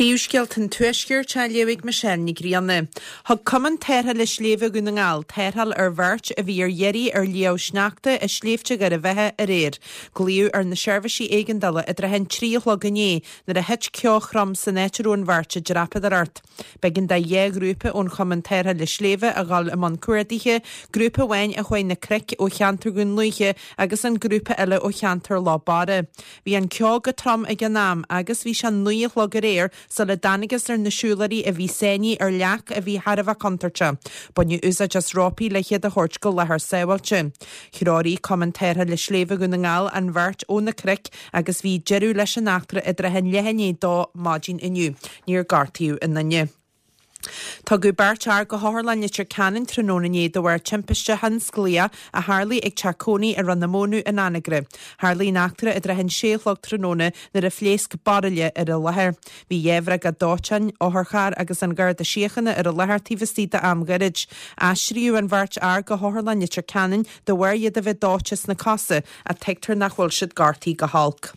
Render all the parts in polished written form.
Príomhscéalta an Tuaiscirt á léamh ag Michelle Ní Ghrianna. Thug Cumann Tarrthála Sléibhe Dhún na nGall tarrtháil ar bheirt a bhí ar iarraidh ar shliabh sneachta i Sléibhte Dhoire Bheatha aréir. Glaodh ar na seirbhísí éigeandála i dtrátha an 3 a chlog inné nuair a thit ceo throm san áit a raibh an bheirt ag dreapadóireacht. B'éigean do dhá ghrúpa ón Chumann Tarrthála Sléibhe a dhul i mbun cuardaithe, grúpa amháin a chuaigh na cnoic ó cheantar Dhún Lúiche agus an grúpa eile ó cheantar Loch Barra. Bhí an ceo go trom ag an am agus bhí sé 9 a chlog aréir sula dtángthas ar na siúlóirí a bhí sáinnithe ar leac a bhí thar a bheith contúirteach. Baineadh úsáid as rópaí le hiad a thabhairt go láthair sábháilte. Threoraigh Cumann Tarrthála Sléibhe Dhún na nGall an bheirt ó na cnoic agus bhí deireadh leis an eachtra i dtrátha leath i ndiaidh a dó maidin inniu. Níor gortaíodh aon duine. Tugadh beirt fhear go hOtharlann Leitir Ceanainn tráthnóna inné de bharr timpiste thionsclaíoch a tharlaigh ag teach cónaí i Ráth na Mónadh in Anagaire. Tharlaigh an eachtra i dtrátha an sé a chlog tráthnóna nuair a phléasc bairille ar an láthair. Bhí dhá bhriogáid dóiteáin, otharcharr agus an Garda Síochána ar an láthair taobh istigh d'am ghairid. Aistríodh an bheirt fhear go hOtharlann Leitir Ceanainn de bharr iad a bheith dóite sna cosa ach tuigtear nach bhfuil siad gortaithe go holc.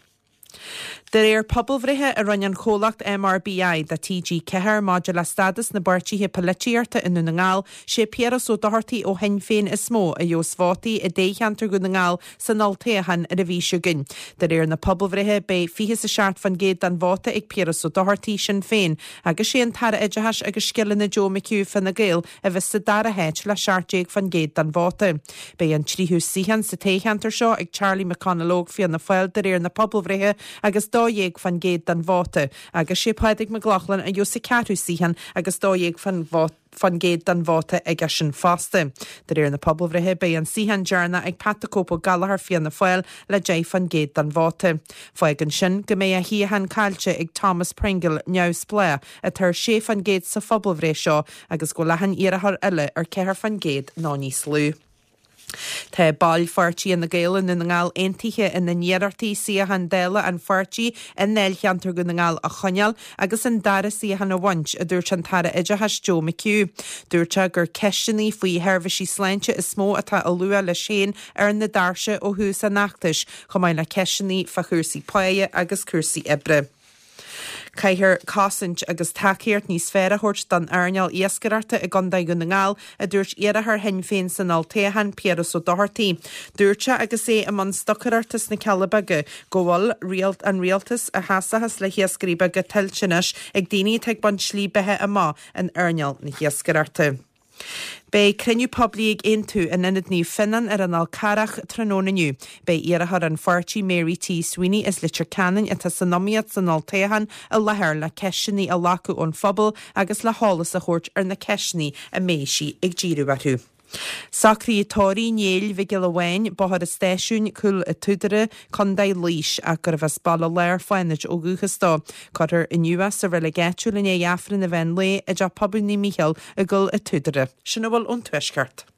De réir pobalbhreithe a rinne an chomhlacht MRBI do TG4 maidir le stádas na bpáirtithe poilitíochta i nDún na nGall, sé Piaras Ó Dochartaigh ó Shinn Féin is mó a gheobhas vótaí i dtoghcheantar Dhún na nGall san olltoghchán ar an mhí seo chugainn. De réir na pobalbhreithe, beidh 27% den vóta ag Piaras Ó Dochartaigh, Sinn Féin, agus sé an tAire Oideachais agus Scileanna Joe McHugh, Fine Gael, a bheas sa dara háit le 17% den vóta. Beidh an tríú suíochán sa toghcheantar seo ag Charlie McConalogue, Fianna Fáil, de réir na pobalbhreithe agus 12% den vóta, agus sé Pádraig Mac Lochlainn a gheobhas sa ceathrú suíochán agus 12% den vóta aigesean fosta. De réir na pobalbhreithe beidh an suíochán deireanach ag Pat the Cope Ó Gallchóir, Fianna Fáil, le 10% den vóta. Fágann sin go mbeidh a shuíochán caillte ag Thomas Pringle, Neamhspleách, atá ar 6% sa phobalbhreith seo agus go bhfuil achan iarrthóir eile ar 4% nó níos lú. Tá baill pháirtí Fhine Gael i nDún na nGall aontaithe ina n-iarrachtaí suíochán Dála an pháirtí i ndáilcheantar Dhún na nGall a choinneáil agus an dara suíochán a bhaint, a dúirt an tAire Oideachais Joe McHugh. Dúirt sé gur ceisteanna faoi sheirbhísí sláinte is mó atá á lua leis féin ar na doirse ó thús an fheachtais, chomh maith le ceisteanna fá chúrsaí páighe agus cúrsaí oibre. Caithfear cosaint agus tacaíocht níos fearr a thabhairt don earnáil iascaireachta i gContae Dhún na nGall, a dúirt iarrthóir Shinn Féin san olltoghchán, Piaras Ó Dochartaigh. Dúirt sé agus é i mbun stocaireachta sna Cealla Beaga go bhfuil an rialtas a sheasfas le hiascairí beaga tuillte anois ag daoine atá ag baint slí beatha amach in earnáil na hiascaireachta. Beidh cruinniú poiblí ag Aontú in Ionad Naomh Fionnán ar an Fhál Carrach tráthnóna inniu. Beidh iarrthóir an pháirtí Mary T Sweeney as Leitir Ceanainn atá san iomaíocht san olltoghchán i láthair le ceisteanna a ghlacadh ón phobal agus le heolas a thabhairt ar na ceisteanna a mbeidh sí ag díriú orthu. Socruithe tórraimh Néill Mhic Giolla Bháin, Bóthar an Stáisiúin, Cúil a' tSúdaire, Contae Laois, ach gurbh as Baile Láir Fánaid ó dhúchas dó. Cuirfear inniu é sa reilig áitiúil i ndiaidh Aifreann an mheán lae i dTeach Pobail Naomh Mícheál i gCúil a' tSúdaire. Sin a bhfuil ón Tuaisceart.